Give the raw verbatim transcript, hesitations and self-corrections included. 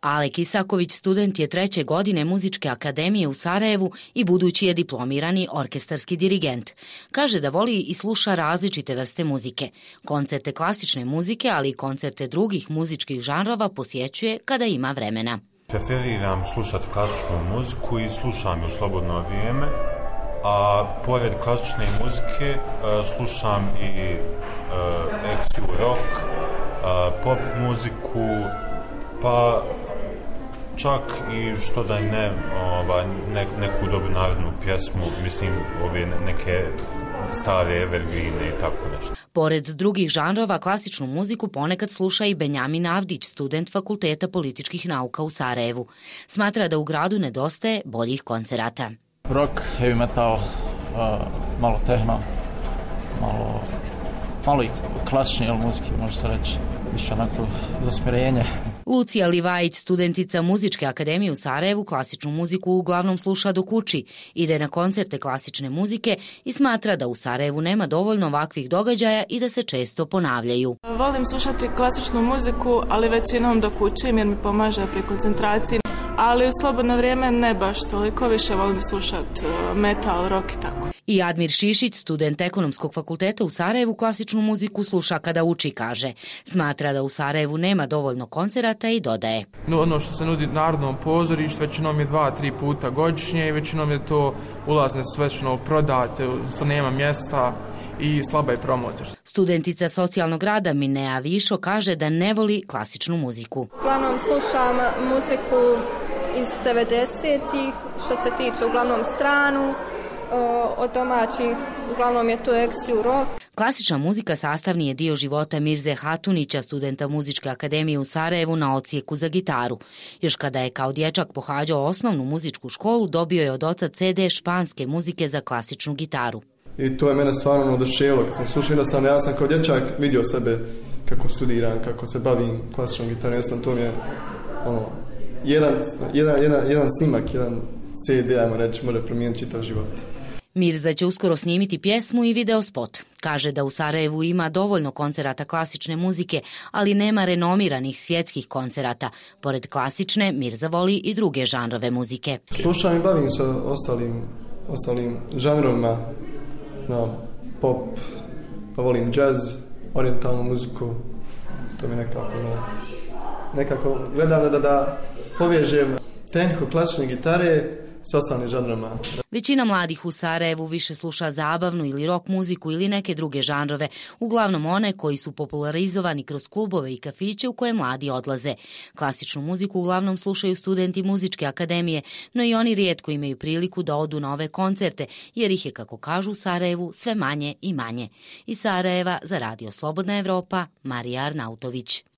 Alek Isaković student je treće godine Muzičke akademije u Sarajevu i budući je diplomirani orkestarski dirigent. Kaže da voli i sluša različite vrste muzike. Koncerte klasične muzike, ali i koncerte drugih muzičkih žanrova posjećuje kada ima vremena. Preferiram slušati klasičnu muziku i slušam ju u slobodno vrijeme, a pored klasične muzike slušam i ekstru rock, pop muziku, pa čak i što da ne, ova, ne neku dobru narodnu pjesmu, mislim ove neke stare evergrine i tako nešto. Pored drugih žanrova, klasičnu muziku ponekad sluša i Benjamin Avdić, student Fakulteta političkih nauka u Sarajevu. Smatra da u gradu nedostaje boljih koncerata. Rock, heavy metal, uh, malo tehno, malo, malo i klasični muziki, može se reći, više onako za smirenje. Lucija Livajić, studentica Muzičke akademije u Sarajevu, klasičnu muziku uglavnom sluša dok uči, ide na koncerte klasične muzike i smatra da u Sarajevu nema dovoljno ovakvih događaja i da se često ponavljaju. Volim slušati klasičnu muziku, ali većinom dok učim jer mi pomaže pri koncentraciji, ali u slobodno vrijeme ne baš toliko, više volim slušati metal, rock i tako. I Admir Šišić, student Ekonomskog fakulteta u Sarajevu, klasičnu muziku sluša kada uči, kaže. Smatra da u Sarajevu nema dovoljno koncerata i dodaje. No, ono što se nudi Narodnom pozorištu većinom je dva, tri puta godišnje i većinom je to ulazne svečno prodate, što nema mjesta i slaba je promocija. Studentica socijalnog rada Minea Višo kaže da ne voli klasičnu muziku. Uglavnom slušam muziku iz devedesetih, što se tiče uglavnom stranu, od domaćih, uglavnom je to ekstru rock. Klasična muzika sastavni je dio života Mirze Hatunića, studenta Muzičke akademije u Sarajevu na odsjeku za gitaru. Još kada je kao dječak pohađao osnovnu muzičku školu, dobio je od oca ce de španske muzike za klasičnu gitaru. I to je mene stvarno oduševilo. Kad sam slušao, jednostavno, ja sam kao dječak vidio sebe kako studiram, kako se bavim klasičnom gitarom. Jednostavno, to mi je ono, jedan, jedan, jedan, jedan snimak, jedan ce de, ajmo reći, može promijeniti čitav život. Mirza će uskoro snimiti pjesmu i video spot. Kaže da u Sarajevu ima dovoljno koncerata klasične muzike, ali nema renomiranih svjetskih koncerata. Pored klasične, Mirza voli i druge žanrove muzike. Slušam i bavim se ostalim, ostalim žanrovima, no, pop, pa volim jazz, orijentalnu muziku, to mi nekako, no, nekako gledam da, da povežem tehniku klasične gitare s ostalim žanrama. Većina mladih u Sarajevu više sluša zabavnu ili rock muziku ili neke druge žanrove, uglavnom one koji su popularizovani kroz klubove i kafiće u koje mladi odlaze. Klasičnu muziku uglavnom slušaju studenti Muzičke akademije, no i oni rijetko imaju priliku da odu na ove koncerte, jer ih je, kako kažu u Sarajevu, sve manje i manje. Iz Sarajeva za Radio Slobodna Evropa, Marija Arnautović.